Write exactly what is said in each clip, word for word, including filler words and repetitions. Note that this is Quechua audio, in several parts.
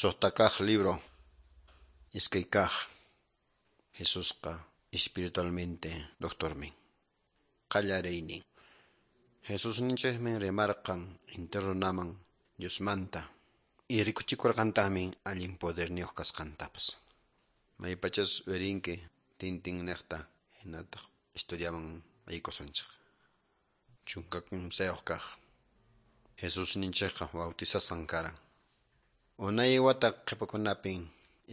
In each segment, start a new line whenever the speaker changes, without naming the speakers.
Suqta kaq libro, iskay kaq. Jesusqa espiritualmente doctormin. Qallariynin. Jesusninchikmi rimarqan entero runaman Diosmanta y rikuchikurqantaqmi allin poderniyuq kasqantapas. Maypachas uyarinki tintin niqta hinataq historiaman aykusunchik. Chunka kimsayuq kaq. Jesusninchikqa bautizasqan karan. Unay wata qhipakunapin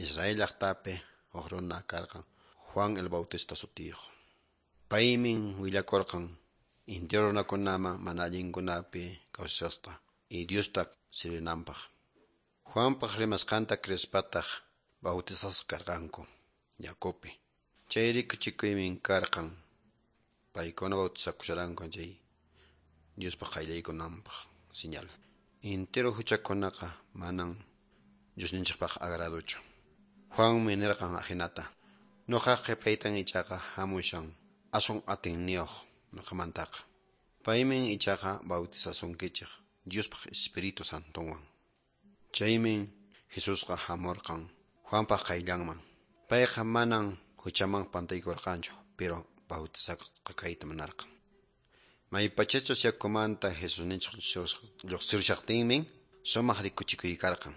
Israel llaqtapi huk runa karqan Juan el Bautista sutiyuq. Paymin willakurqan entero runakunaman mana allinkunapi kawsasqa y Diosta sirvinanpaq. Juanpaq rimasqanta creespataq bautizasqa karqanku yakupi. Chay rikuchikuymin karqan paykuna bautizakusharanku chay Diospaq qayllaykunanpaq señal. Entero huchakunaqa manan Diosninchikpaq agraduchu. Juanmi nirqan ahinata: Nuqaq qhipaytan ichaqa hamushan aswan atiyniyuq nuqamantaqa. Paymin ichaqa bautizasunkichik Diospaq Espíritu Santonwan. Chaymin Jesusqa hamurqan Juanpaq qayllanman. Payqa manan huchaman pantaykurqanchu, pero bautizasqa kayta munarqan. Maypachachus yakumanta Jesusninchik lluqsirushaqtinmin sumaq rikuchikuy karqan.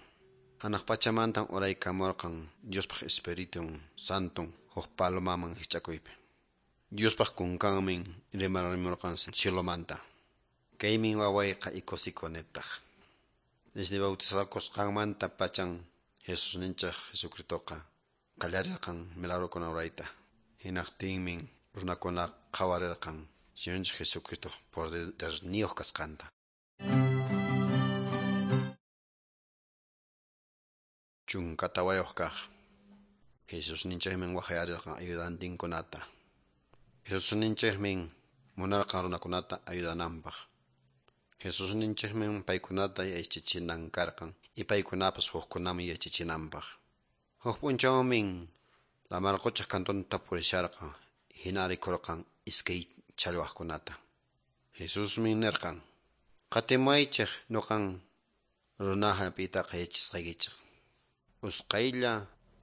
Hanaq pachamantan uraykamurqan Diospaq Espíritu Santon huk palomaman hich'akuypi. Diospaq kunkanmin rimarimurqan cielomanta. Kaymin wawayqa ikusikunitaq. Desde bautizakusqanmanta pachan Jesusninchik Jesucristoqa qallarirqan milagrokuna rurayta. Hinaqtinmin runakuna qhawarirqan Señorninchik Jesucristo poderniyuq kasqanta. Chunka tawayuq kaq. Jesusninchikmin waqyarirqan ayudantinkunata. Jesusninchikmin munarqan runakunata ayudananpaq. Jesusninchikmin paykunata yachachinan karqan y paykunapas hukkunaman yachachinanpaq. Huk p'unchawmin lamar quchaq kantunta purisharqan hina rikurqan iskay challwaqkunata. Jesusmi nirqan: Qatimuwaychik nuqan runa hap'iytaqa yachasqaykichik. Usqhaylla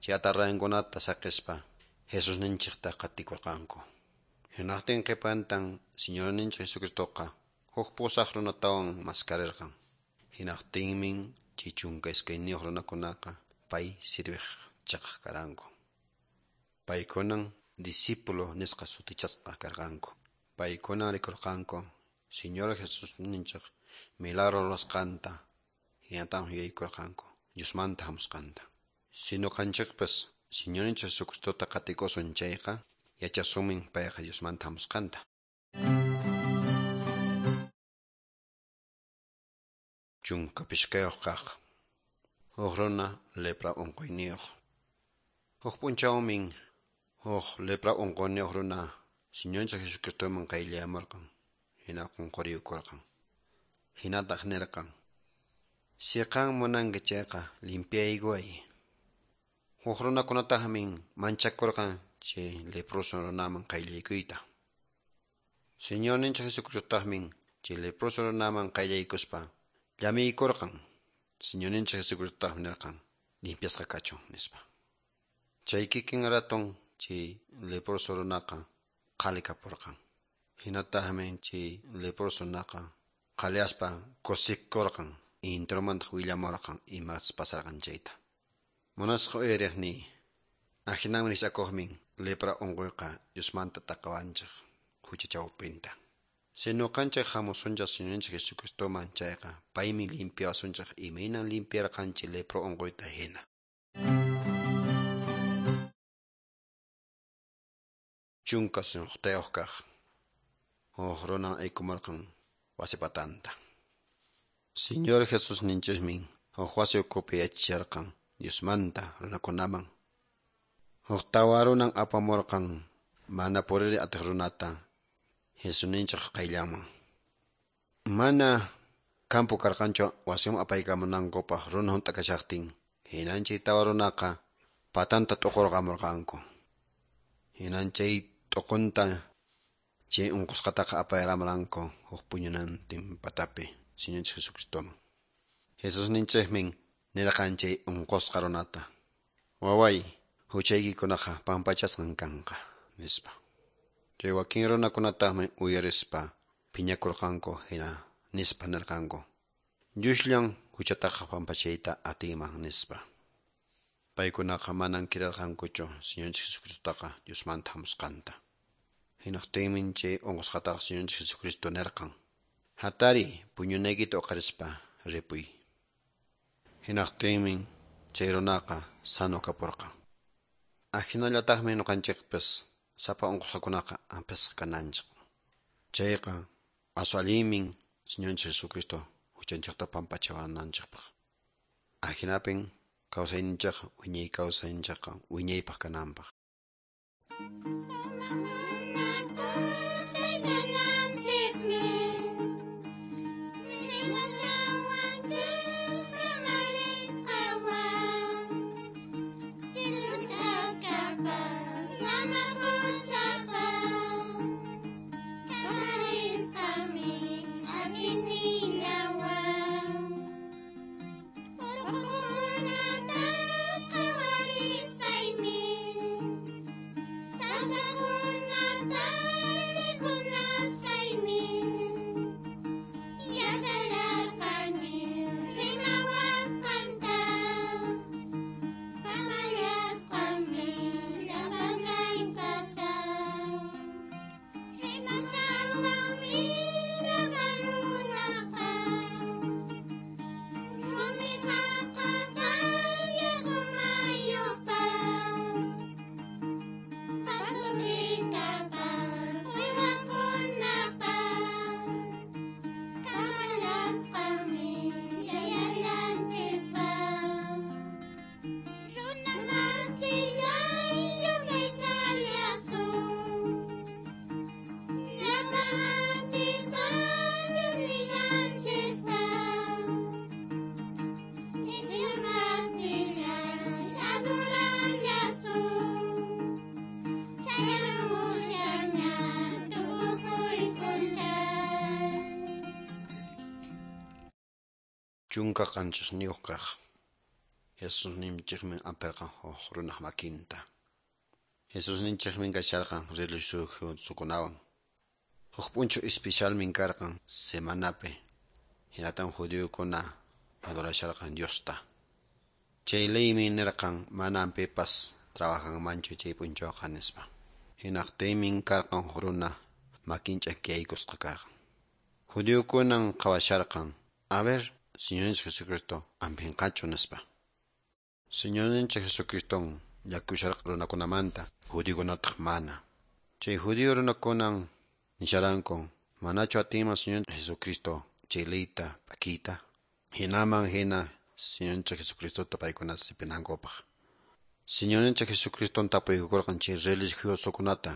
chay atarrayankunata saqispa Jesusninchikta qatikurqanku. Hinaqtin qhipantan Señorninchik Jesucristoqa huk pusaq runatawan maskarirqan. Hinaqtinmin chay chunka iskayniyuq runakunaqa pay sirviq chiqaq karanku. Paykunan discípulo nisqa sutichasqa karqanku. Paykunan rikurqanku Señor Jesusninchik milagro rurasqanta hinatan yuyaykurqanku Diosmanta hamusqanta. Si nuqanchikpas Señorninchik Jesucristota qatikusun chayqa yachasunmin payqa Diosmanta hamusqanta. Chunka pishqayuq kaq. Huk runa lepra unquyniyuq. Huk p'unchawmin huk lepra unquyniyuq runa Señorninchik Jesucristoman qayllayamurqan hina qunquriyukurqan. Hinataq nirqan: Si qan munanki chayqa limpiaykuway. Huk runakunataqmin manchakurqan chay leproso runaman qayllaykuyta. Señorninchik Jesucristotaqmin chay leproso runaman qayllaykuspa llamiykurqan. Señorninchik Jesucristotaqmi nirqan: Limpiasqa kachun, nispa. Chay kikin raton chay leproso runaqa qhali kapurqan. Hinataqmi chay leproso runaqa qhaliyaspa kusikurqan enteromantaq willamurqan imas pasarqan chayta. Munasqa uyariqniy, ahinanmi rikch'akuqmin lepra unquyqa Diosmanta taqawanchik hucha chawpinta. Si nuqanchik hamusunchik Señorninchik Jesucristoman chayqa paymi limpiawasunchik imaynan limpiarqanchik lepra unquyta hina. Chunka suqtayuq kaq. Huk runan aykumurqan wasi patanta. Señor Jesusninchikmin huk wasi ukhupi yachacharqan Diosmanta runakunaman. Huk tawa runan apamurqan mana puriri atiq runata Jesusninchik qayllanman. Mana campo karqanchu wasiman apaykamunankupaq runa hunt'a kashaqtin. Hinan chay tawa runaqa patanta t'uqurqamurqanku. Hinan chay t'uqunta chay unqusqataqa apayaramuranku huk puñunantin patapi Señorninchik Jesucristoman. Jesusninchikmin Nirqan chay unqusqa runata: "Waway, huchaykikunaqa pampachasqan kanqa", nispa. Chay wakin runakunataqmi uyarispa phiñakurqanku, hina nispa nirqanku: "Diosllan huchataqa pampachayta atinman", nispa. Paykunaqa manan creerqankuchu Señorninchik Jesucristotaqa Diosmanta hamusqanta. Hinaqtinmi chay unqusqataqa Señorninchik Jesucristo nirqan: "Hatariy, puñunaykita uqarispa ripuy". Hinaqtinmi chay runaqa sano kapurqan. Ahinallataqmi ñuqanchikpas sapa unqusqakunaqa hampisqa kananchik. Chayqa aswan allinmi Señorninchik Jesucristo huchanchikta pampachawananchikpaq. Ahinapin kawsayninchikqa wiñay kawsayninchikqa wiñaypaq kananpaq. Chunka qanchisniyuq kaq. Jesusninchikmi ampirqan huk runaq makinta. Jesusninchikmi kasharqan religiosokunawan. Huk p'unchaw especialmin karqan semanapi. Hinatan judiokuna adorasharqan Diosta. Chay leymi nirqan manan pipas trabajanmanchu chay p'unchawqa nispa. Hinaqtinmi karqan huk runa makin ch'akiyaykusqa karqan. Judiokunan qhawasharqan: "A ver, Señorninchik Jesucristo ampinqachu", nispa. Señorninchik Jesucriston llakusharqa runakunamanta, judiokunataq mana. Chay judío runakunan nisharanku: "Manachu atinman Señor Jesucristo chay leyta p'akiyta?" Hinaman hina Señorninchik Jesucristota paykuna sipinankupaq. Señorninchik Jesucriston tapuykurqan chay religiosokunata.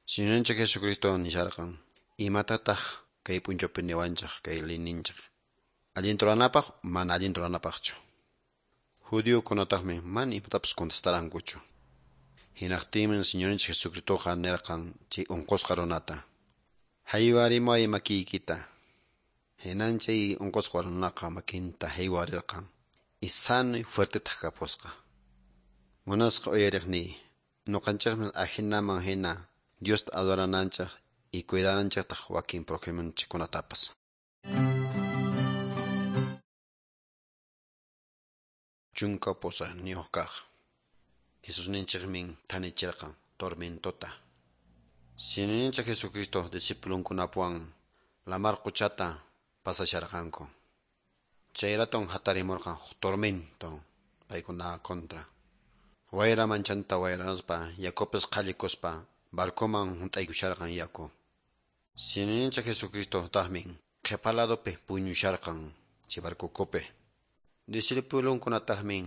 Señorninchik Jesucristo nisharqan: "Imatataq kay p'unchawpi niwanchik kay leyninchik? Allinta ruranapaq mana allinta ruranapaqchu?" Judiokunataqmi mana imatapas contestarankuchu. Hinaqtinmi Señorninchik Jesucristoqa nirqan chay unqusqa runata: "Haywarimuway makiykita". Hinan chay unqusqa runaqa makinta haywarirqan y sano y fuertetaq kapusqa. Munasqa uyariqniy, ñuqanchikmi ahinaman hina Diosta adorananchik y cuidananchiktaq wakin prójimonchikkunatapas. Chunka pusaqniyuq kaq. Jesusninchikmi thanichirqan tormentota. Señorninchik Jesucristo discipulonkunapuwan lamar quchata pasasharqanku. Chay raton hatarimurqan huk tormento paykuna contra. Wayra manchanta wayraspa yakupis qhallikuspa barcoman hunt'aykusharqan yaku. Señorninchik Jesucristo taqmi qhipa ladopi puñusharqan chay barcokupi. Discipulonkunataqmi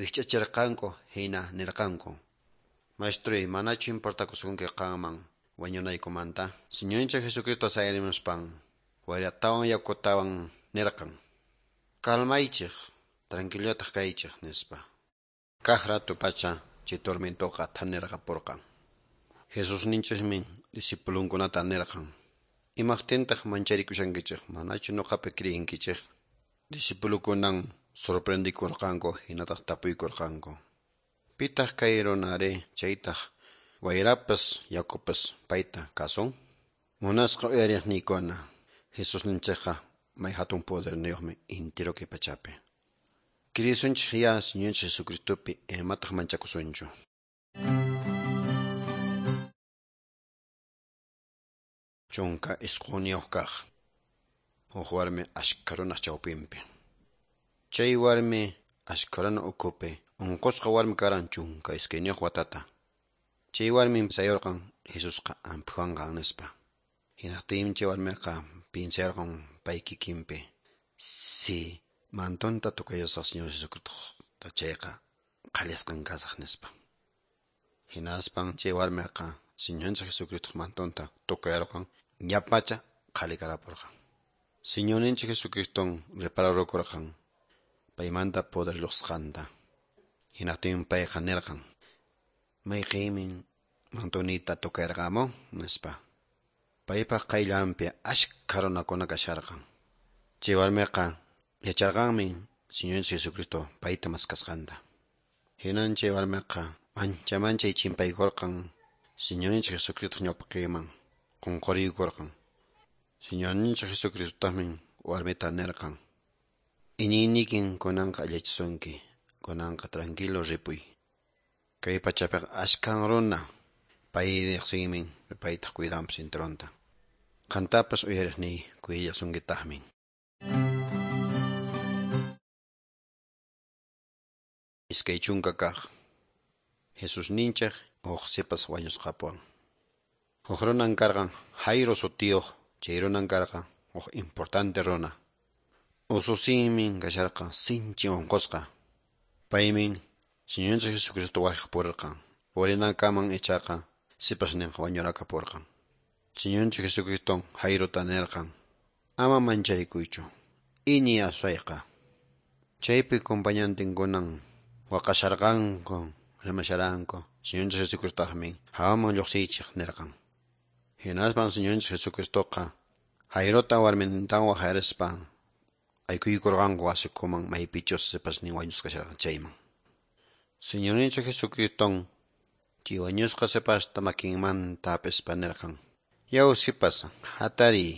rikch'achirqanku hina nirqanku: "Maestroy, manachu importakusunki qanman wañunaykumanta?" Señorninchik Jesucristo sayarimuspan wayratawan yakutawan nirqan: "Calmaychik, tranquilotaq kaychik", nispa. Kaq rato pacha chay tormentoqa thanirqapurqan. Jesusninchikmi discipulonkunata nirqan: "Imaqtintaq mancharikushankichik? Manachu ñuqapi creyinkichik?" Discipulokunan Sorprendikurqanku hinataq tapuykurqanku. Pitaq kay runari chaytaq wayrapas yakupas payta kasun? Munasqa uyariqniykuna, Jesusninchikqa may hatun poderniyuqmi intiro kay pachapi. Krisunchik ya Señorninchik Jesucristopi imataq manchakusunchu. Chunka isquniyuq kaq. Huk warmi ashka runaq chawpinpi. Chay warmi ashka runa ukhupi unqusqa warmi karan chunka iskayniyuq watata. Chay warmi sayurqan Jesusqa amphuwanqan nispa. Hinaqtinmi chay warmiqa pinsayarqan pay kikinpi. Si mantonta tukayusaq Señor Jesucristo chayqa qhallisqan kasaq nispa. Hinaspan chay warmiqa Señorninchik Jesucristo mantonta tukayarqan ñapacha qhalikarapurqan. Señorninchik Jesucriston repararurqan paymanta poder lluqsqanta. Hinaqtinmi payqa nirqan: Mayqinmi mantonita tukayarqamun nispa. Paypaq qayllanpi ashka runakuna kasharqan. Chay warmiqa yacharqanmi Señorninchik Jesucristo payta maskasqanta. Hinan chay warmiqa mancha manchay chimpaykurqan Señorninchik Jesucristo ñawpaqinman qunquriykurqan. Señorninchik Jesucristotaqmi warmita nirqan: Iñiynikin kunanqa allichisunki, kunanqa tranquilo ripuy. Kay pachapiqa ashkan runa pay riqsinmi paytaq cuidanpas intironta. Qantapas uyariqniy kuyallasunkitaqmi. Iskay chunka kaq. Jesusninchik huk sipas wañusqapuwan. Huk runan karqan Jairo sutiyuq, chay runan karqan huk importante runa. Ususinmi kasharqan sinchi unqusqa. Paymi Señorninchik Jesucristo wajaq purirqan. Purinankaman ichaqa sipasninqa wañurakapurqan. Señorninchik Jesucristo Jairota nirqan: Ama mancharikuychu, iñiy aswayqa. Chaypi compañantinkunan waqasharqanku, rimasharanku. Señorninchik Jesucristotaqmi hawaman lluqsiychik nirqan. Hinaspan Señorninchik Jesucristoqa Jairota warmintawan waqarispa aykuykurqanku wasikuman maypichus sipasnin wañusqa kasharqan chayman. Señorninchik Jesucriston chay wañusqa sipasta makinmanta hap'ispa nirqan: Yaw sipas, hatariy.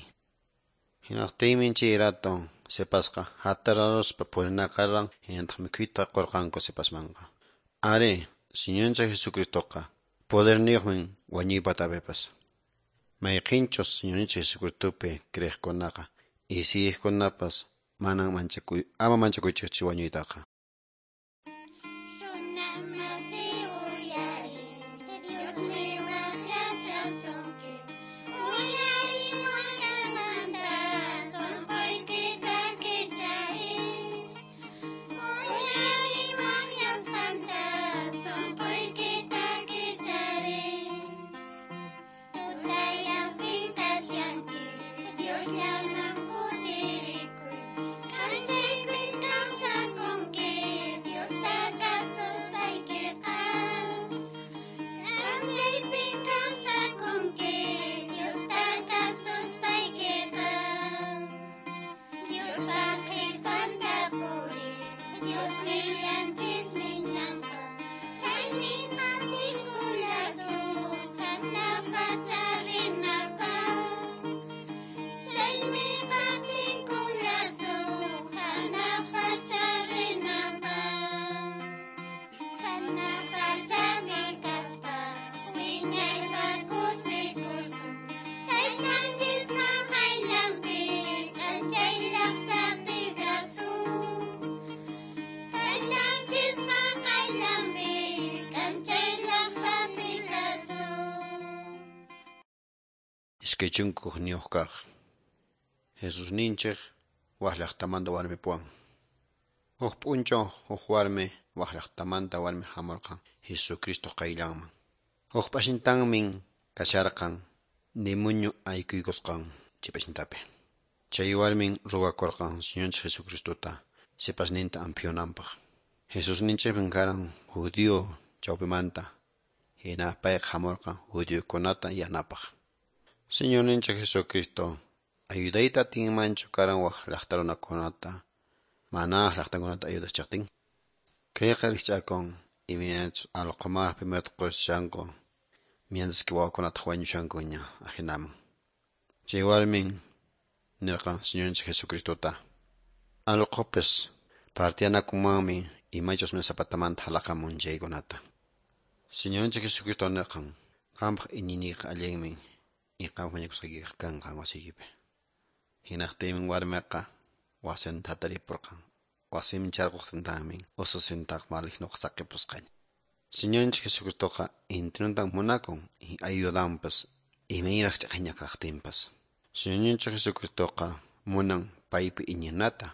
Hinaqtinmi chay rato sipasqa hatararuspa purinaqarqan, hinataq mikhuyta qurqanku sipasmanqa. Ari, Señorninchik Jesucristoqa poderniyuqmi wañuypatapipas. Mayqinchus Señorninchik Jesucristopi creeqkunaqa isiyqkunapas manan manchakuy, ama manchakuychikchu wañuytaqa. Iskay chunka hukniyuq kaq. Jesusninchik wak llaqtamanta warmipuwan. Huk p'unchaw huk warmi wak llaqtamanta warmi hamurqan Jesucristo qayllanman. Huk p'ashintanmin kasharqan demonio aykuykusqan chay p'ashintapi. Chay warmin ruwakurqan Señorninchik Jesucristota sipasninta ampiyunanpaq. Jesusninchikmi karan judío chawpimanta, hina payqa hamurqan judiokunata yanapaq. Señorninchik Jesucristo ayudayta atinmanchu karan wak llaqta runakunata Mana llaqtankunata ayudachaqtin. Kayqa rikch'akun imaynachus allqumar primero qushanku mientras que wawakunataq wañushankuña ajinaman. Chay warmin nirqan Señorninchik Jesucristota. Allqupis partiyanakunmanmi imachus mesa patamanta halaqamun chaykunata. Señorninchik Jesucristo nirqan qampaq iñiniyqa allinmi y qampaq mañakusqaykiqa kanqa wasiykipi. Hinaqtinmi warmiqa wasinta hataripurqan. Wasinman charquqtintaqmi ususintaq malignoqa saqipusqaña. Señorninchik Jesucristoqa intinuntan munakun y ayudanpas imaynaraq ch'aqayña kaqtinpas. Señorninchik Jesucristoqa munan paypi iñinata,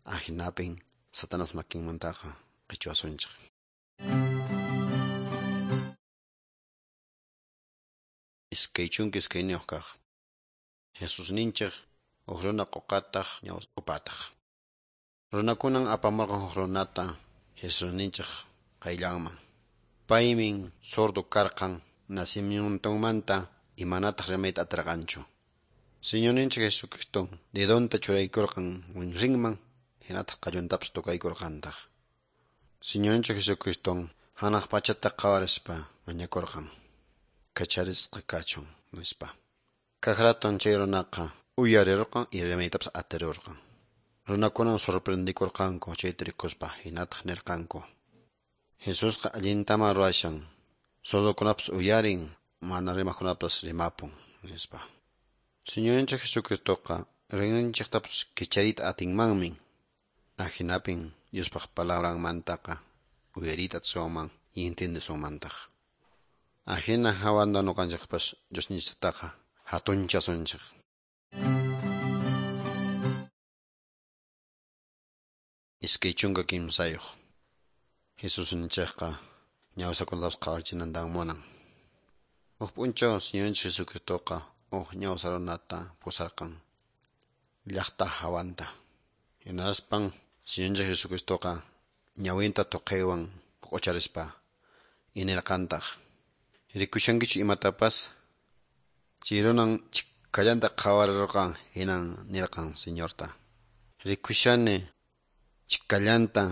ahinapin Satanás makinmantaqa qichwasunchik. Iskay chunka iskayniyuq kaq. Jesusninchik huk runa quqataq ñawpataq. Runakunan apamurqan huk runata Jesusninchik qayllanman. Paymin sordo karqan nacimientonmanta imanataq rimayta atirqanchu. Señorninchik Jesucristo dedonta churaykurqan winrinman hinataq qalluntapas tukaykurqantaq. Señorninchik Jesucristo hanaq pachata qhawarispa mañakurqan. Kacharisqa kachun nispa. Kaq raton chay runaqa uyarirqan y rimaytapas atirirqan. Runakunan sorprendikurqanku chayta rikuspa hinataq nirqanku. Jesusqa allintaman ruwashan, sordokunapas uyarin, mana rimaqkunapas rimapun, nispa. Señorninchik Jesucristoqa rinrinchiktapas kichariyta atinmanmi. Ahinapin Diospaq palabranmantaqa uyariyta atisunman y entiendesunmantaq. Ahina hawanta ñuqanchikpas Diosninchiktaqa hatunchasunchik. Iskay chunka kimsayuq. Jesusninchikqa ñawsakunatapas qhawarichinantan munan. Huk p'unchaw Señorninchik Jesucristoqa huk ñawsa runata pusarqan llaqta hawanta. Hinaspan Señorninchik Jesucristoqa ñawinta tuqaywan q'ucharispa inirqantaq. Rikushankichu imatapas? Chay runan chikallanta qhawarirqan hinan nirqan Señorta. Rikushani chikallanta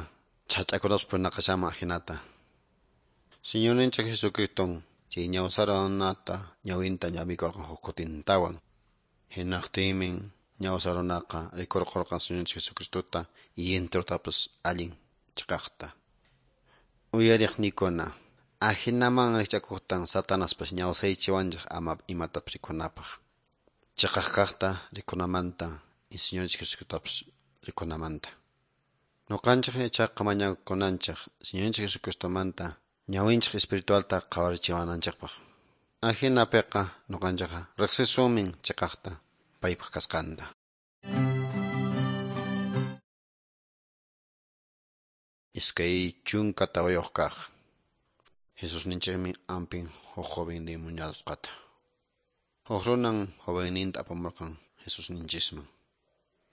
chhach'akunapas punaqashaman ahinata. Señorninchik Jesucriston chay ñawsa runata ñawinta llamikurqan huk kutintawan. Hinaqtinmi ñawsa runaqa rikurqurqan Señorninchik Jesucristota y intirutapas allin chiqaqta. Uyariqniykuna, ahinaman rikch'akuqtan Satanaspas ñawsaychiwanchik ama imatapas rikunapaq. Chiqaq kaqta rikunamanta y Señorninchik Jesucristotapas rikunamanta. Ñuqanchik ichaqa mañakunanchik Señorninchik Jesucristomanta ñawinchik espiritualta qhawarichiwananchikpaq. Ahinapiqa ñuqanchikqa riqsisunmin chiqaqta paypaq kasqanta. Iskay chunka tawayuq kaq. Jesusninchikmi ampin huk joven demoniyasqata. Huk runan jovenninta apamurqan Jesusninchisman.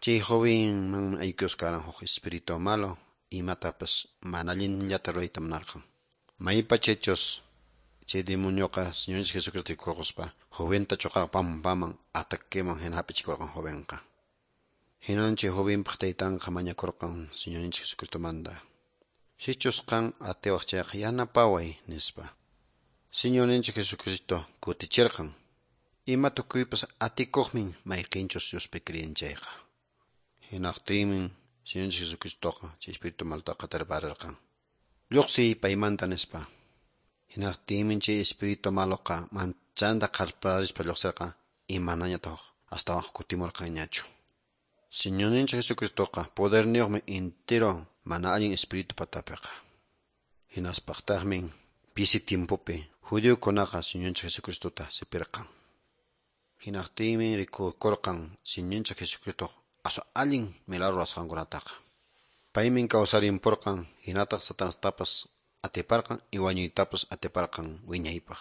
Chay jovenmanmi aykusqaran huk espíritu malo imatapas mana allinllata rurayta munarqan. Maypachachus chay demonioqa Señorninchik Jesucristo rikurquspa joventa chuqarqan pampaman ataqueman hina hap'ichikurqan jovenqa. Hinan chay jovenpaq taytanqa mañakurqan Señorninchik Jesucristomanta. Sichus qan atiwaq chayqa yanapaway nispa. Señorninchik Jesucristo kutichirqan. Ima tukuypas atikuqmin mayqinchus Diospi kriyin chayqa. Hinaqtinmi Señorninchik Jesucristoqa chay espíritu maltaqa tarparirqan. Lluqsiy paymanta nispa. Hinaqtinmi chay espíritu maloqa manchanta qarparispa lluqsirqan imanañataq astawan kutimurqanñachu. Señorninchik Jesucristoqa poderniyuqmi entero mana allin espíritu patapiqa. Hinaspaqtaqmi pisi tiempopi judiokunaqa Señorninchik Jesucristota sipirqan. Hinaqtinmi rikukurqan Señorninchik Jesucristo aswan allin milagro ruwasqankunataqa. Paymin kawsarinpurqan hinataq Satanastapas atiparqan y wañuytapas atiparqan wiñaypaq.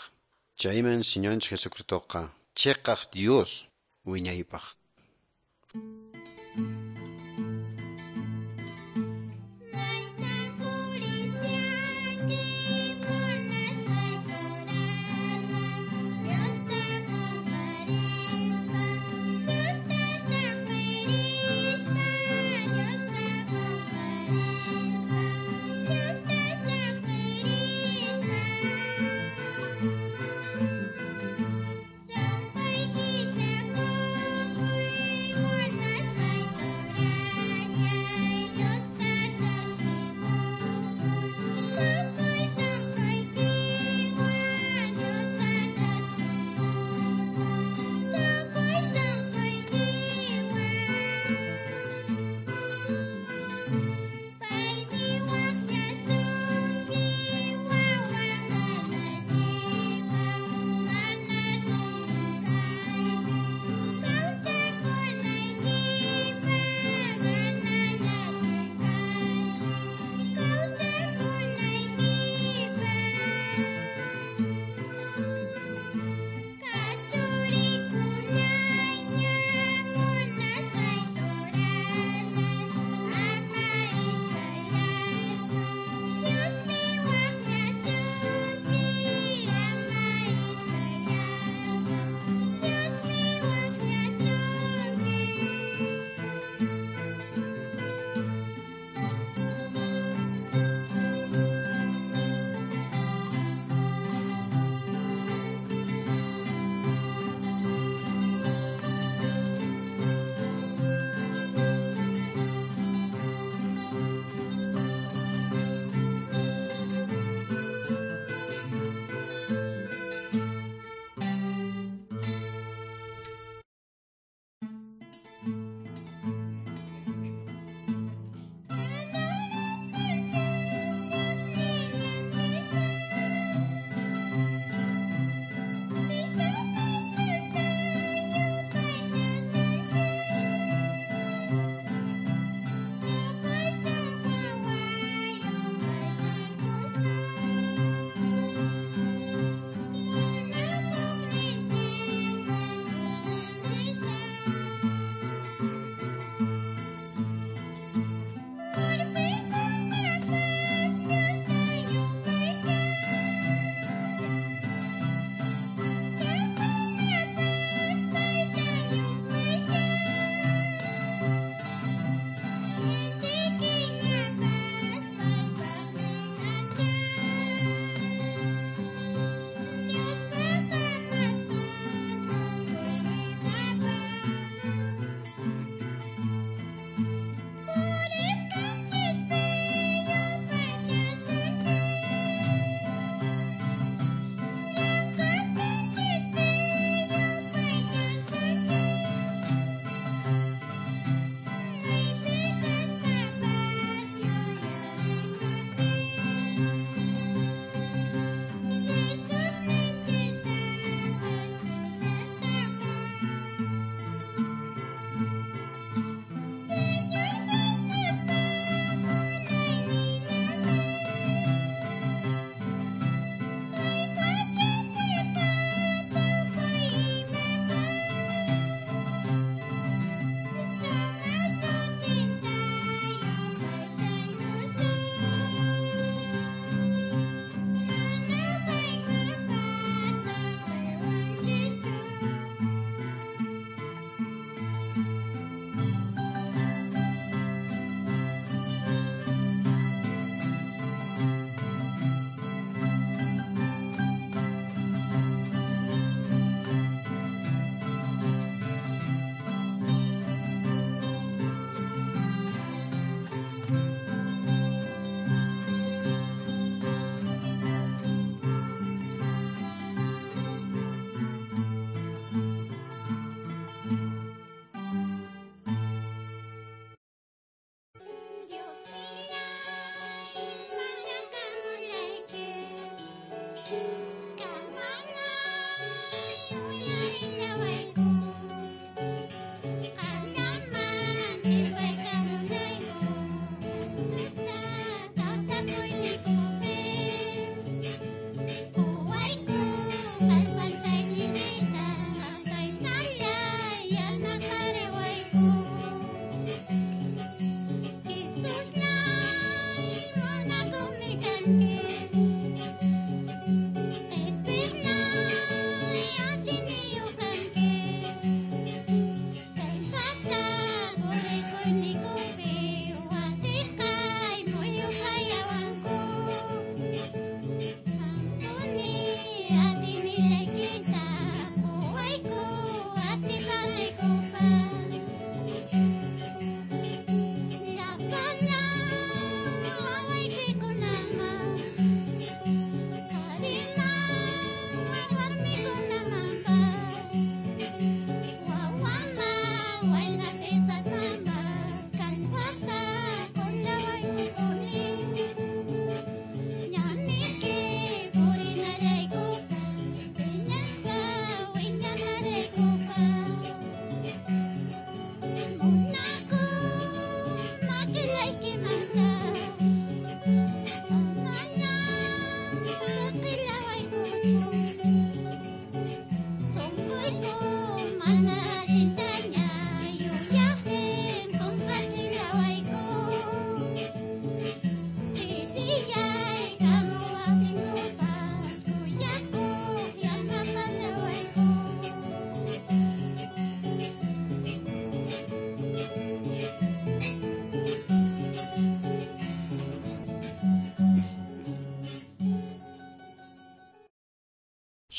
Chayman Señorninchik Jesucristoqa chiqaq Dios wiñaypaq.
Dios te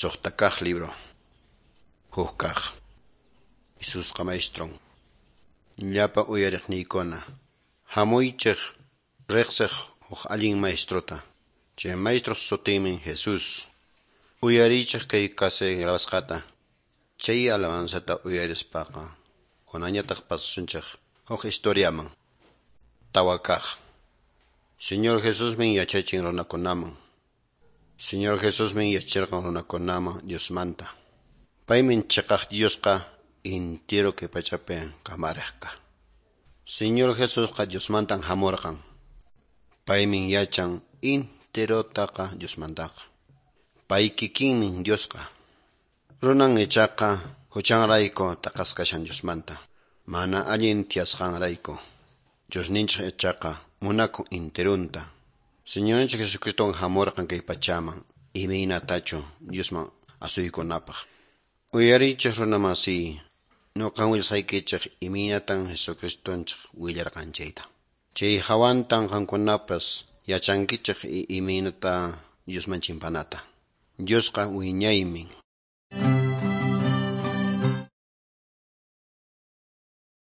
Suqta kaq libro. Huk kaq. Jesusqa maestron. Llapa uyariqniykuna. Hamuychik riqsiq huk allin maestrota. Chay maestro sutinmi Jesús. Uyariychik kay kase grabasqata. Chay alabanzata uyarispaqa. Kunañataq pasasunchik huk historiaman. Tawa kaq. Señor Jesusmi yachachin runakunaman. Señor Jesusmi yachirqan runakunaman Diosmanta. Paymi chiqaq Diosqa intiro kay pachapi kamariqqa. Señor Jesusqa Diosmantan hamurqan. Paymi yachan intirotaqa Diosmantaqa. Pay kikinmi Diosqa. Runan ichaqa huchanrayku t'aqasqa kashan Diosmanta. Mana allin tiyasqanrayku. Diosninchik ichaqa munakun intirunta. Señorninchik Jesucristo hamurqan kay pachaman imaynatachu Diosman asuykunapaq. Uyariychik runamasiy, nuqan willasqaykichik imaynatan Jesucristonchik willarqan chayta. Chay hawantan qamkunapas yachankichik imaynata Diosman chimpanata. Diosqa wiñaymin.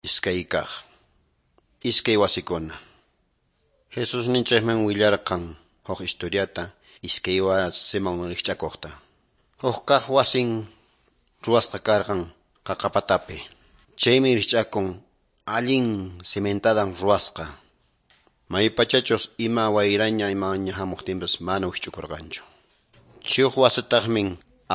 Iskay kaq. Iskay wasikuna. Jesusninchikman willarqan huk historiata iskay wasiman rikch'akuqta. Huk kaq wasin ruwasqa karqan qaqapatapi. Chaymi rikch'akun allin cimentadan ruwasqa. Maypachachus ima wayraña imaña hamuqtinpas mana wikch'ukurqanchu. Chay huk wasitaqmi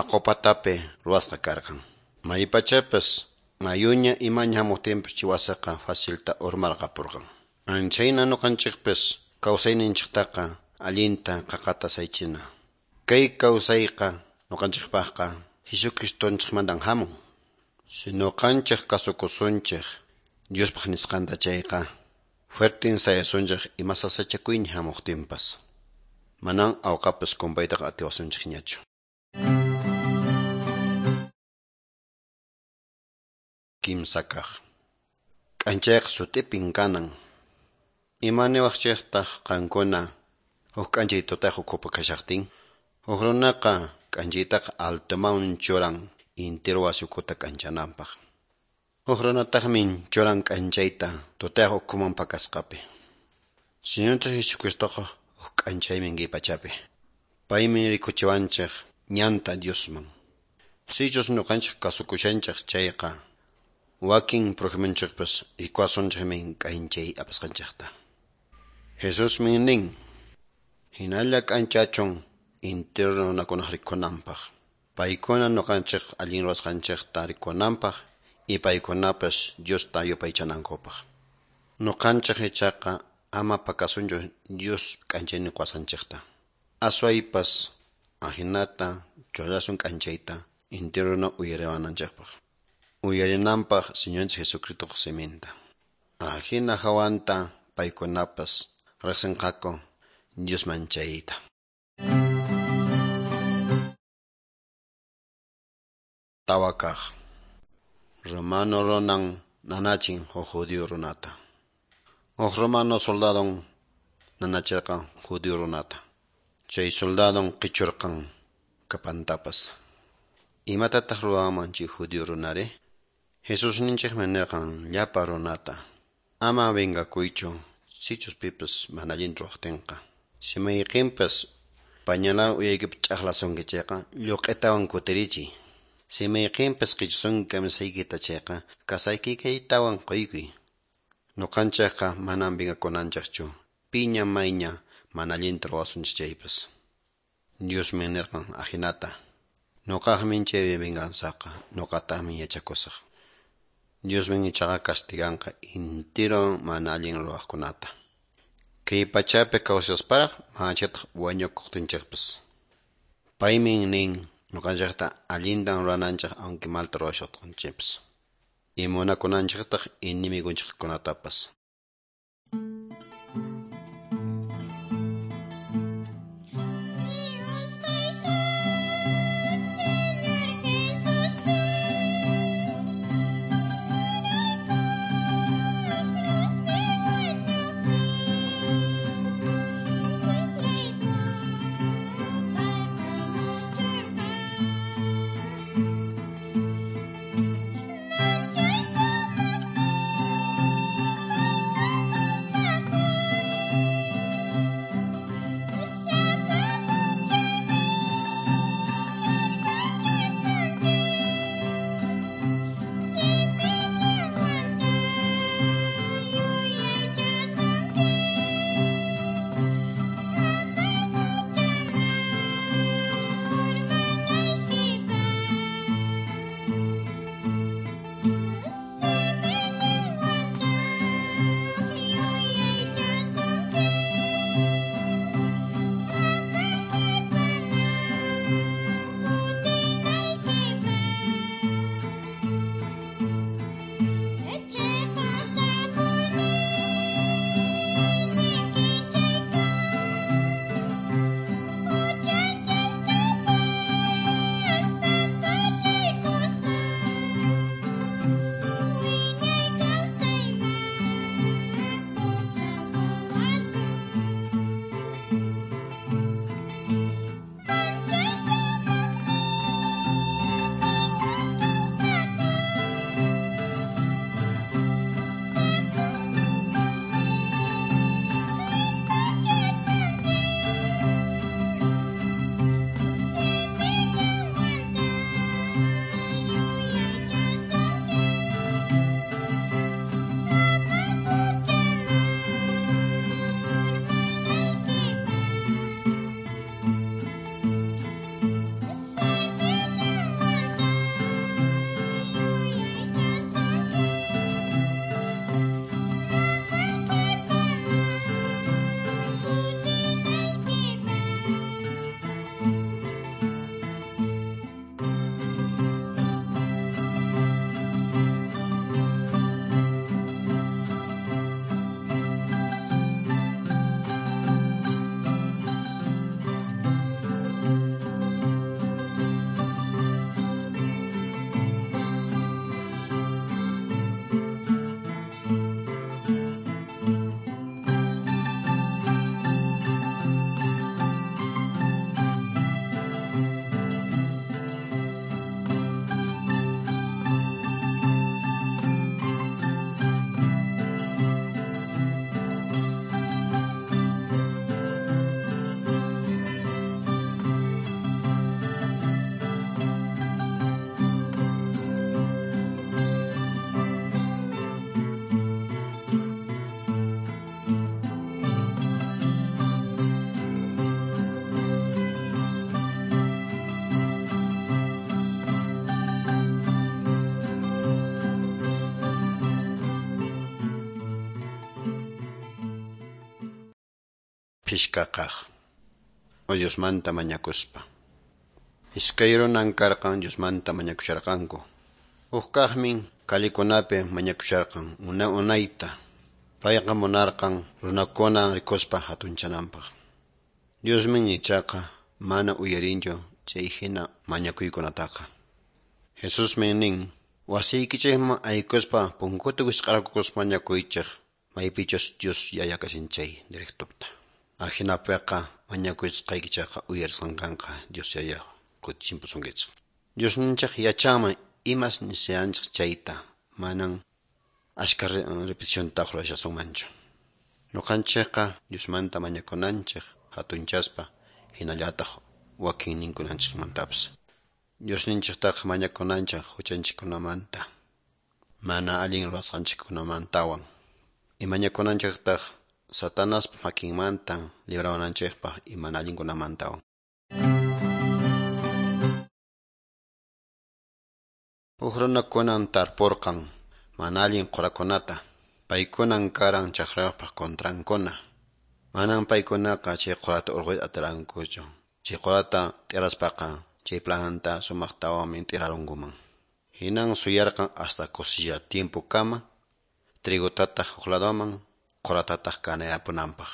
aqupatapi ruwasqa karqan. Maypachapas mayuña imaña hamuqtinpas chay wasiqa facilta urmarqapurqan. Anchayna nuqanchikpas kawsayninchiktaqa allinta qaqata saychina. Kay kawsayqa nuqanchikpaqqa Jesucristonchikmantan hamun. Si nuqanchik kasukusunchik Diospaq nisqanta chayqa fuerten sayasunchik ima sasachakuyña hamuqtinpas. Manan awqapas kumpaytaqa atiwasunchikñachu. Kimsa kaq. K'anchayqa sut'ipin kanan. Ima niwaqchiktaq qankuna huk k'anchay tutayaq ukhupi kashaqtin? Huk runaqa k'anchaytaqa altoman churan intiro wasi ukhuta k'anchananpaq. Huk runataqmi churan k'anchayta tutayaq ukhuman pakasqapi. Señorninchik Jesucristoqa huk k'anchaymi kay pachapi. Paymi rikuchiwanchik ñanta Diosman. Sichus ñuqanchik kasukushanchik chayqa wakin prójimonchikpas rikuwasunchikmi k'anchay apasqanchikta. Jesusmi nin, hinalla k'anchachun Intero runakunaq rikunanpaq. Paykuna ñuqanchik allin ruwasqanchikta rikunanpaq y paykunapas Diosta yupaychanankupaq. Ñuqanchik ichaqa ama pakasunchu Dios k'anchaynin quwasqanchikta. Aswaypas ahinata churasun k'anchayta intero runa uyariwananchikpaq. Uyarinanpaq Señorninchik Jesucristoq siminta. Ahina hawanta paykunapas riqsinqaku Diosman chayta. Tawa kaq. Romano runan nanachin huk judío runata. Huk romano soldadon nanachirqan judío runata. Chay soldadon qichurqan kapantapas. Imatataq ruwanman chay judío runari? Jesusninchikmi nirqan llapa runata: ama vengakuychu sichus pipas mana allinta ruwaqtinqa. Si mayqinpas pañalawan uyaykipi ch'aqlasunki chayqa lluq'itawan kutirichiy. Si mayqinpas qichusunki kamisaykita chayqa kasaykikaytawan quykuy. Ñuqanchikqa manam vengakunanchikchu piña mayña mana allinta ruwasunchik chaypas. Diosmi nirqan ahinata: ñuqaqmi chay venganzaqa, ñuqataqmi yachakusaq. Diosmi ichaqa castiganqa intiro mana allin ruwaqkunata. Kay pachapi kawsasparaq manachataq wañukuqtinchikpas. Paymi nin ñuqanchikta allintan ruwananchik aunque malta ruwashaqtinchikpas. Y munakunanchiktaq enemigonchikkunatapas.
Dios Tayta, Señor Jesús, ven, cruzpi wañupi, Diosrayku qarqamuchurqa. Manchay sumaqmi
Phishqa kaq. Diosmanta mañakuspa. Iskay runan karqan Diosmanta mañakusharqanku. Huk kaqmin callekunapi mañakusharqan una unayta. Payqa munarqan runakuna rikuspa hatunchananpaq. Diosmin ichaqa mana uyarinchu chay hina mañakuykunataqa. Jesusmi nin, wasiykichikman aykuspa punkuta wisq'arquspa mañakuychik maypichus Dios yaya kashan chay directopta. Ahinapiqa mañakusqaykichikqa uyarisqan kanqa Dios yaya kutichinpusunkichik. Diosninchik yachanman imas nisianchik chayta manan ashka repeticionta rurashasunmanchu. Ñuqanchikqa Diosmanta mañakunanchik hatunchaspa hinallataq wakinninkunanchikmantapas. Diosninchiktaqa mañakunanchik huchanchikkunamanta, mana allin rurasqanchikkunamantawan. Y mañakunanchiktaq Satanaspa makinmanta librawananchikpaq y mana allinkunamantawan. Huk runakunan tarpurqan mana allin qurakunata, paykunan karan chakrayuqpaq contrankuna. Manan paykunaqa chay qurata urquyta atirankuchu. Chay qurata t'iraspaqa chay planta sumaqtawanmi t'irarunkuman. Hinan suyarqan hasta cosecha tiempokama trigotataq huk ladoman quratataq kanayapunanpaq.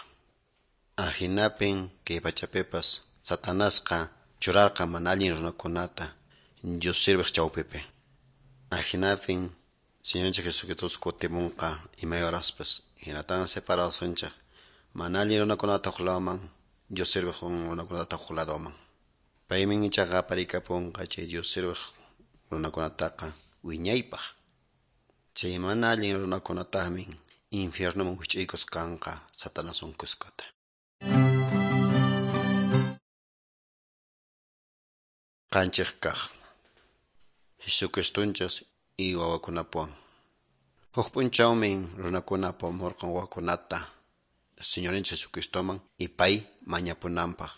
Ahinapin kay pachapipas Satanasqa churarqan mana allin runakunata Dios sirviq chawpipi. Ahinapin Señorninchik Jesucristo kutimunqa imay horaspas hinatan separasunchik mana allin runakunata huk ladoman Dios sirviq runakunata huk ladoman. Paymin ichaqa aparikapunqa chay Dios sirviq runakunataqa wiñaypaq. Chay mana allin runakunataqmi infiernoman wich'uykusqanqa Satanaswan kuskata. Qanchik kaq. Jesucristonchis y wawakunapuwan. Huk p'unchawmi runakuna apamurqan wawakunata Señorinchik Jesucristoman y pay mañapunanpaq.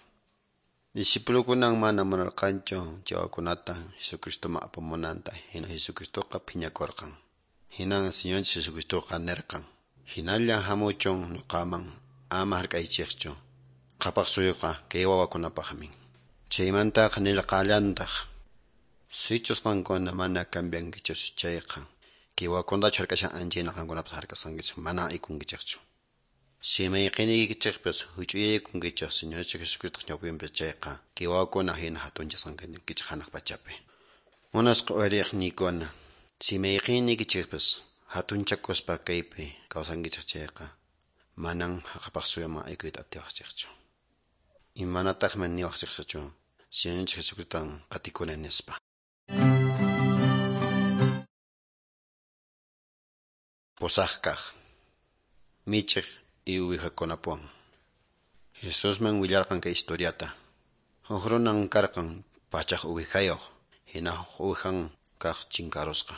Discipulukunan mana munarqanchu chay wawakunata Jesucristoman apamunanta hina Jesucristoqa phiñakurqan. Hinan Señorinchik Jesucristoqa nirqan, hinalla hamuchun ñuqaman ama hark'aychikchu, qhapaq suyuqa kay wawakunapaqmi. Chaymantaqa nirqallantaq, sichus qankuna mana cambiankichis chayqa, kay wawakunatachu hark'ashan anchayna qankunapas hark'asqankichik mana aykunkichikchu. Si mayqiniykichikpas huch'uyaykunkichik Señorinchik Jesucristoq ñawpinpi chayqa, kay wawakuna hina hatunchasqankichik hanaq pachapi. Munasqa uyariqniykuna, si mayqiniykichikpas hatunchakuspa kaypi kawsankichik chayqa, manan qhapaq suyuman aykuyta atiwaqchikchu. Imanataqmi niwaqchikchu Señorinchik Jesucristotan qatikuni nispa. Pusaq kaq. Michiq y uwihakunapuwan. Jesusman willarqan kay historiata. Huk runan karqan pachaq uwihayuq, hina huk uwihan kaq chinkarusqa.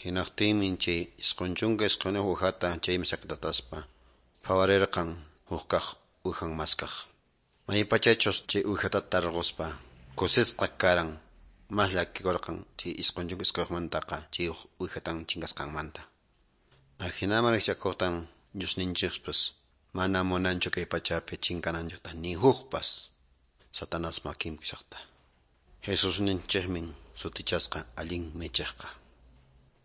Hinaqtinmi chay isqun chunka isquniyuq uwihata chaymi saqtataspa phawarirqan huk kaq uwihan maskaq. Maypachachus chay uwihata tarquspa kusisqa karan mas llakikurqan chay isqun chunka isquniyuqmantaqa chay huk uwihatan chinkasqanmanta. Ahinaman rikchakuqtan Diosninchikpas mana munanchu kay pachapi chinkananchikta ni hukpas Satanás makinpi kashaqta. Jesusninchikmin sutichasqa allin michiqqa.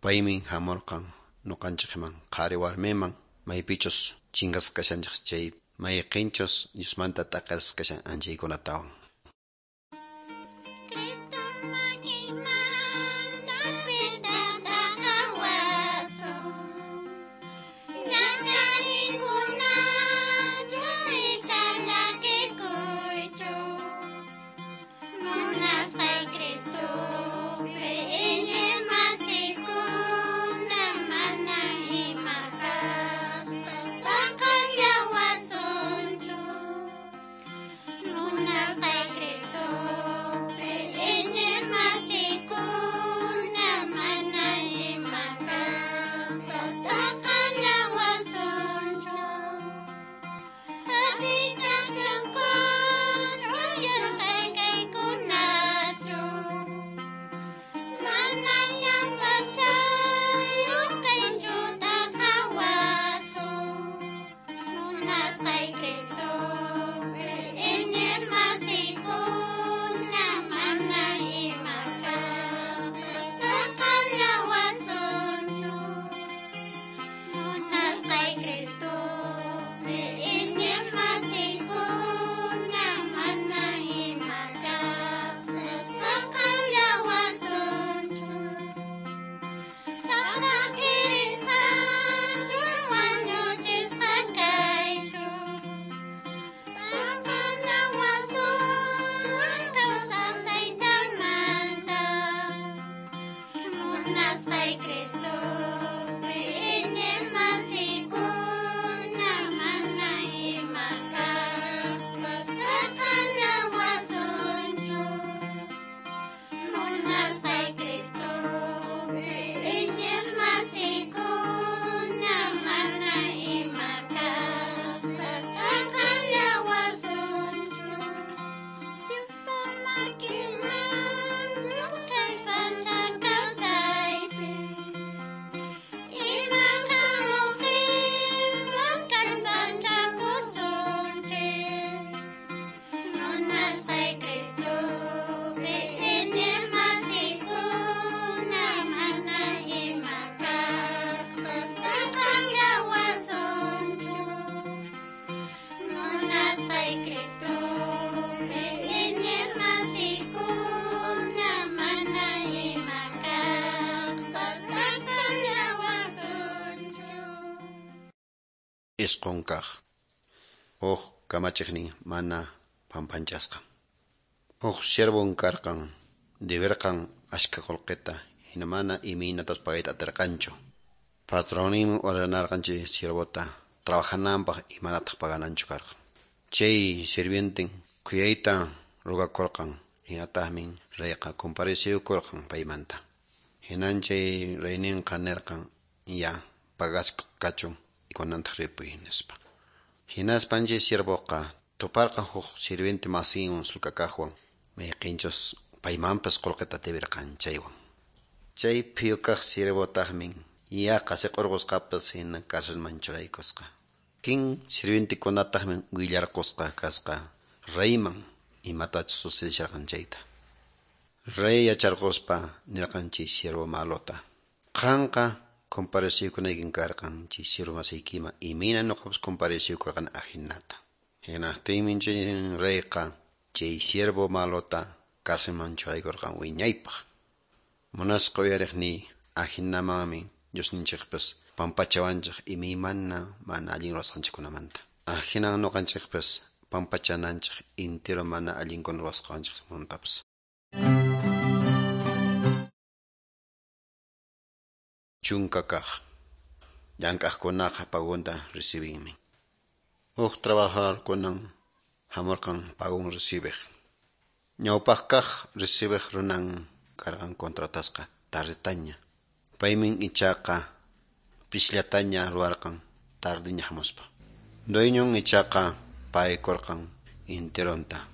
Paymin hamurqan ñuqanchikman qhari warmiman maypichus chinkasqa kashanchik chay mayqinchus Diosmanta t'aqasqa kashan anchaykunatawan.
Cristo makimanta pitataqa wasun. Ñak'ariykunachu icha llakikuychu. Munasqay Cristopi iñiqmasikuna mana imakaqpas t'aqallawasunchu. Munasqay Munasqay Cristopi iñiqmasikuna mana ima kaqpas t'aqallawasunchu. Munasqay Cristopi iñiqmasikuna mana ima kaqpas t'aqallawasunchu. Diospa makinman kay pacha kawsaypi iman hamuqtinpas kallpachakusunchik. Munasqay Cristopi iñiqmasikuna mana ima kaqpas t'aqallawasunchu. Munasqay Cristopi iñiqmasikuna mana ima kaqpas t'aqallawasunchu.
Isqun kaq. Huk kamachiqnin mana pampanchasqa. Huk siervon karqan, deberqan achka qullqita, hina mana imaynatas pagayta atirqanchu. Patronninmi ordenarqan chay siervota trabajananpaq imanataq pagananchu karqan. Chay sirvienten khuyayta rugakurqan, hinataqmi reyqa compareciyukurqan paymanta. Hinan chay reyninqa nirqan ya pagasqa kachun kunantaq ripuy nispa. Hinaspan chay siervoqa tuparqan huk sirviente masinwan sulkakaqwan mayqinchus paymanpas qullqita deberqan chaywan. Chay phiyukaq siervotaqmi yaqa siq'urqusqapas hina carcelman churaykusqa. Kin sirvientekunataqmi willarqusqa kasqa reyman imatachus sucedisharqan chayta. Rey yacharquspa nirqan chay siervo malota: Qanqa compareciykunaykin karqan chay siervo masiykiman imayna ñuqapas compareciykurqan ahinata. Hinaqtinmi chay reyqa chay siervo malota carcelman churaykurqan wiñaypaq. Munasqa uyariqniy ahinamanmi Diosninchikpas pampachawanchik imaymana mana allin ruwasqanchikkunamanta. Ahinan ñuqanchikpas pampachananchik intiro mana allinkuna ruwasqanchikmantapas. Chunka kaq. Llank'aqkunaqa pagunta recibinmi. Huk trabajadorkunan hamurqan pagun recibiq. Ñawpaq kaq recibiq runan karqan contratasqa tardetaña. Paymin ichaqa pisllataña ruwarqan tardiña hamuspa. Dueñon ichaqa paykurqan interonta.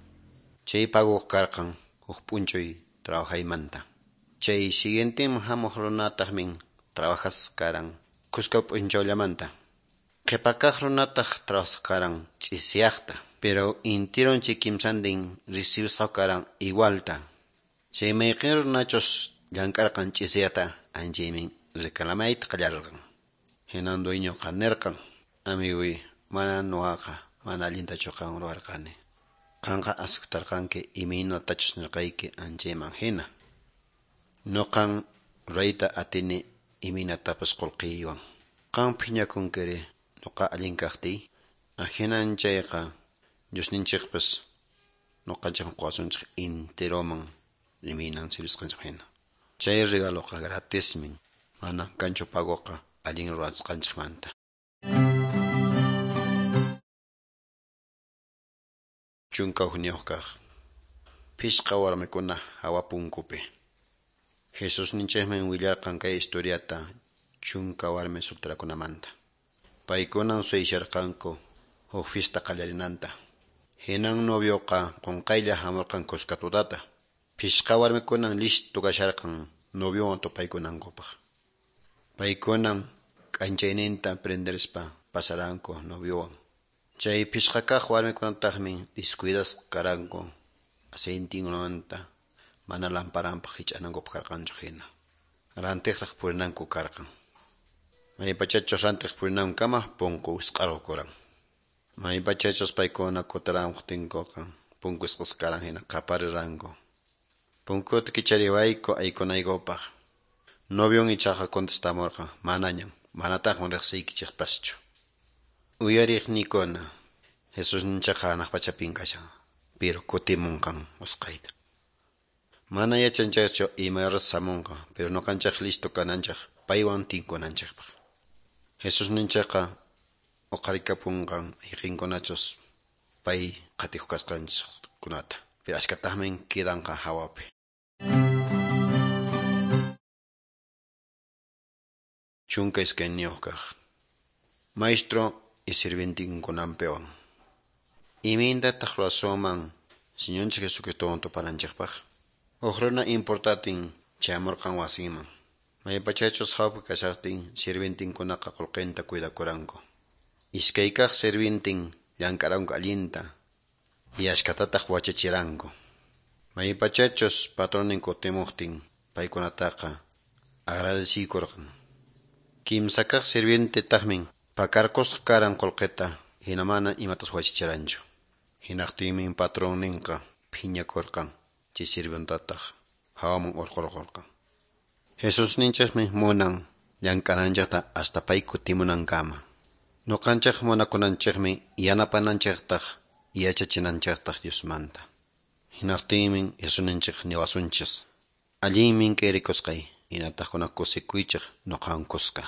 Chay paguq karqan huk p'unchuy trabajaymanta. Chay siguienteman hamuq runataqmin trabajas karan kuska p'unchawllamanta. Qhipakaq runataq trabajas karan ch'isiyaqta, pero intiron chay kimsantin recibisqa karan igualta. Chay mayqin runachus llank'arqan ch'isiyata anchaymin reclamayta qallarirqan. Hinan dueñoqa nirqan: Amiguy, mana ñuqaqa mana allintachu qan ruwarqani. Qanqa aceptarqanki imaynatachus nirqayki anchayman hina. Ñuqan rurayta atini imaynatapas qullqiywan. Qan phiñakunkiri ñuqa allin kaqtiy. Ahinan chayqa Diosninchikpas ñuqanchikman quwasunchik intiroman imaynan servisqanchik hina. Chay regaloqa gratismi, mana kanchu pagoqa allin ruwasqanchikmanta. Chunka hukniyuq kaq. Phishqa warmikuna hawa punkupi. Jesusninchikmi willarqan kay historiata chunka warmi solterakunamanta. Paykunan suyasharqanku huk fiesta qallarinanta. Hinan novioqa qunqaylla hamurqan kuska tutata. Phishqa warmikunan listo kasharqan noviowan tupaykunankupaq. Paykunan k'anchayninta prenderispa pasaranku noviowan. Chay phishqa kaq warmikunataqmi descuidasqa karanku aceitinkunamanta mana lamparanpaq hich'anankupaq karqanchu hina. Rantiqraq purinanku karqan. Maypachachus rantiq purinankama punku wisq'arqukuran. Maypachachus paykuna kutiramuqtinkuqa punku wisq'asqa karan hina qapariranku. Punkuta kichariwayku aykunaykupaq. Novion ichaqa contestamurqan manañam, manataqmi riqsiykichikpaschu. Uyariqniykuna, Jesusninchikqa hanaq pachapin kashan, pero kutimunqan usqhayta. Mana yachanchikchu ima horas samunqa, pero nuqanchik listo kananchik paywan tinkunanchikpaq. Jesusninchikqa uqarikapunqan ayqinkunachus pay qatikuq kasqanchikkunata, pero ashkataqmi quedanqa hawapi. Chunka iskayniyuq kaq. Maestro y sirvientinkunampiwan. Imayntataq ruwasunman Señorninchik Jesucristowan tupananchikpaq? Huk runa importantin chamurqan wasinman. Maypachachus hawpi kashaqtin sirvientinkunaqa qullqinta cuidakuranku. Iskay kaq sirvientin llank'aranku allinta y ashkatataq wachachiranku. Maypachachus patronin kutimuqtin paykunataqa agradecikurqan. Kimsa kaq sirvientetaqmi pakarqusqa karan qullqita hina mana imatas wachachiranchu. Hinaqtinmi patronninqa phiñakurqan chay sirvientataq hawaman hurqurqurqan. Jesusninchikmi munan llank'ananchikta hasta pay kutimunankama. Nuqanchik munakunanchikmi yanapananchiktaq yachachinanchiktaq Diosmanta. Hinaqtinmi Jesusninchik niwasunchis. Allinmi kay rikusqay hinataq kusikuychik nuqawan kuska.